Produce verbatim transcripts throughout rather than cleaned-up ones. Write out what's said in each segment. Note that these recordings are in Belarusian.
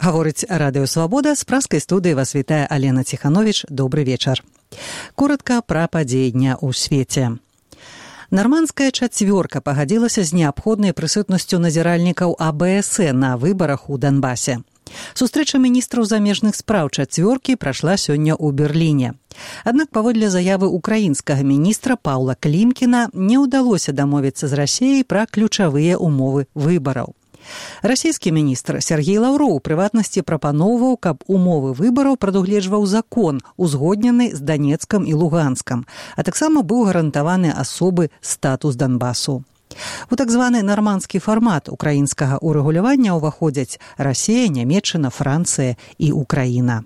Гаворыць Радыё Свабода, з праскай студыі вас вітае Алена Ціхановіч. Добры вечар. Коратка пра падзеі дня ў свеце. Нармандская чацвёрка пагадзілася з неабходнай прысутнасцю назіральнікаў А Бэ Эс Э на выбарах у Донбасе. Сустрэча міністраў замежных спраў чацвёркі прайшла сёння ў Берліне. Аднак паводле заявы украінскага міністра Паўла Клімкіна не ўдалося дамовіцца з Расіяй пра ключавыя умовы выбараў. Расійскі міністр Сергей Лаўроў у прыватнасці прапаноўваў, каб умовы выбараў прадугледжваў закон, узгоднены з Данецкам і Луганскам, а таксама быў гарантаваны асобы статус Донбасу. У так званы нармандскі фармат украінскага урэгулявання ўваходзяць Расія, Нямецчына, Францыя і Украіна.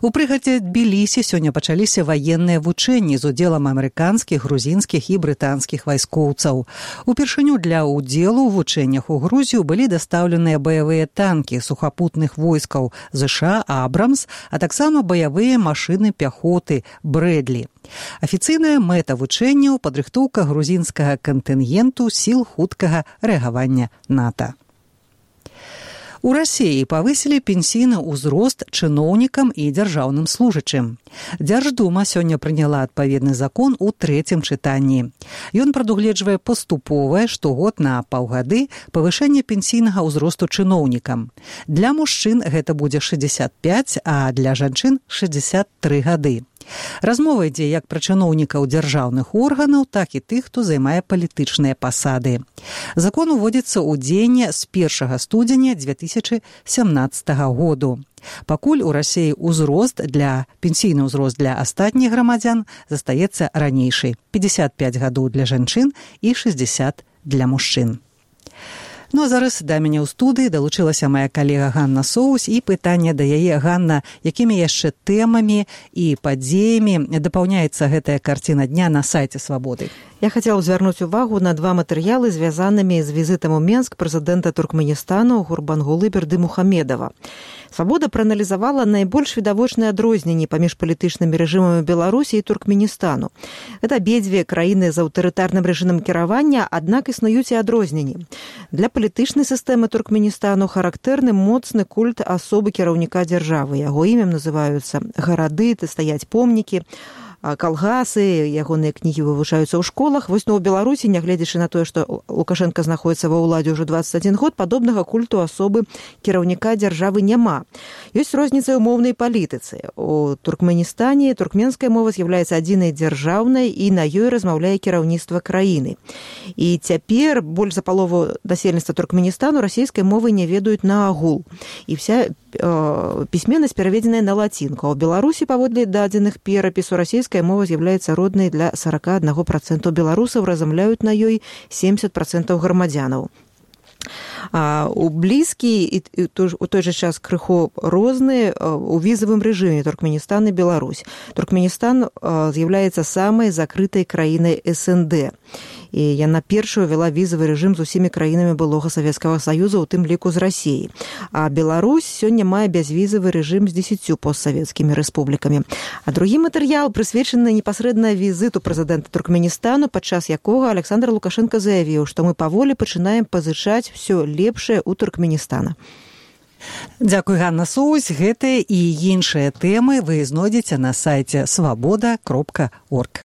У прыгадзе Тбілісі сёння пачаліся ваенныя вучэнні з удзелам амерыканскіх, грузінскіх і брытанскіх вайскоўцаў. Упершыню для ўдзелу ў вучэннях у Грузію былі дастаўленыя баявыя танкі сухапутных войскаў ЗША «Абрамс», а таксама баявыя машыны пяхоты «Брэдлі». Афіцыйная мэта вучэнняў – падрыхтоўка грузінскага кантынгенту сіл хуткага рэагавання НАТО. У Расіі павысілі пенсійны ўзрост чыноўнікам і дзяржаўным служачым. Дзярждума сёння прыняла адпаведны закон у трэцім чытанні. Ён прадугледжвае паступовае штогод на паўгады павышэнне пенсійнага ўзросту чыноўнікам. Для мужчын гэта будзе шэсцьдзесят пяць, а для жанчын шэсцьдзесят тры гады. Размова ідзе як пра чыноўнікаў дзяржаўных органаў, так і тых, хто займае палітычныя пасады. Закон уводзіцца ў дзеянне з першага студзеня дзве тысячы сямнаццатага году. Пакуль у Расіі ўзрост для пенсійны ўзрост для астатніх грамадзян застаецца ранейшай – пятьдесят пять гадоў для жанчын і шэсцьдзесят для мужчын. Ну а зараз да мяне ў студыі далучылася мая калега Ганна Соус, і пытанне да яе. Ганна, якімі яшчэ тэмамі і падзеямі дапаўняецца гэтая карціна дня на сайце Свабоды? Я хотела звярнуць увагу на два матэрыялы, звязанымі з візітам у Менск прэзідэнта Туркменістану Гурбангулы Бердымухамедова. Свабода прааналізавала найбольш відавочныя адрозненні паміж палітычнымі рэжымамі Беларусі і Туркменістану. Гэта абедзве краіны з аўтарытарным рэжымам кіравання, аднак існуюць і адрозненні. Для палітычнай сістэмы Туркменістану характэрны моцны культ асобы кіраўніка дзяржавы. Яго імем называюцца гарады, стаяць помнікі, калгасы, ягоныя кнігі вывучаюцца ў школах. Вось ну, у Беларусі, нягледзячы на тое, што Лукашенко знаходіцца ва ўладзе ўжо дваццаць адзін год, падобнага культу асобы кіраўніка дзяржавы няма. Ёсць розніца ў моўнай палітыцы. У Туркменістане туркменская мова з'яўляецца адзінай дзяржаўнай і на ёй размаўляе кіраўніцтва краіны. І цяпер больш за палову насельніцтва Туркменістану расійскай мовы не ведаюць наагул. І вся э, пісьменнасць пераведзеная на лацінку. А ў Беларусі, паводле дадзеных перапісу, расійская мова з'яўляецца роднай для сорок один процент беларусаў, размаўляюць на ёй семьдесят процентов грамадзянаў. А у блізкі і у той жа час крыху розныя у візавым рэжыме Туркменістан і Беларусь. Туркменістан з'яўляецца самай закрытай краінай эс эн дэ. І яна першая ввела візавы рэжым з усімі краінамі былога Савецкага Саюза, у тым ліку з Расіяй. А Беларусь сёння мае бязвізавы рэжым з дзесяццю постсавецкімі рэспублікамі. А другі матэрыял прысвечаны непасрэдна візіту прэзідэнта Туркменістану, падчас якога Александр Лукашенко заявіў, што мы паволі пачынаем пазычаць ўсё лепшае ў Туркменістана. Дзякуй, Ганна Соус. Гэтыя і іншыя тэмы вы знойдзеце на сайце свабода кропка орг.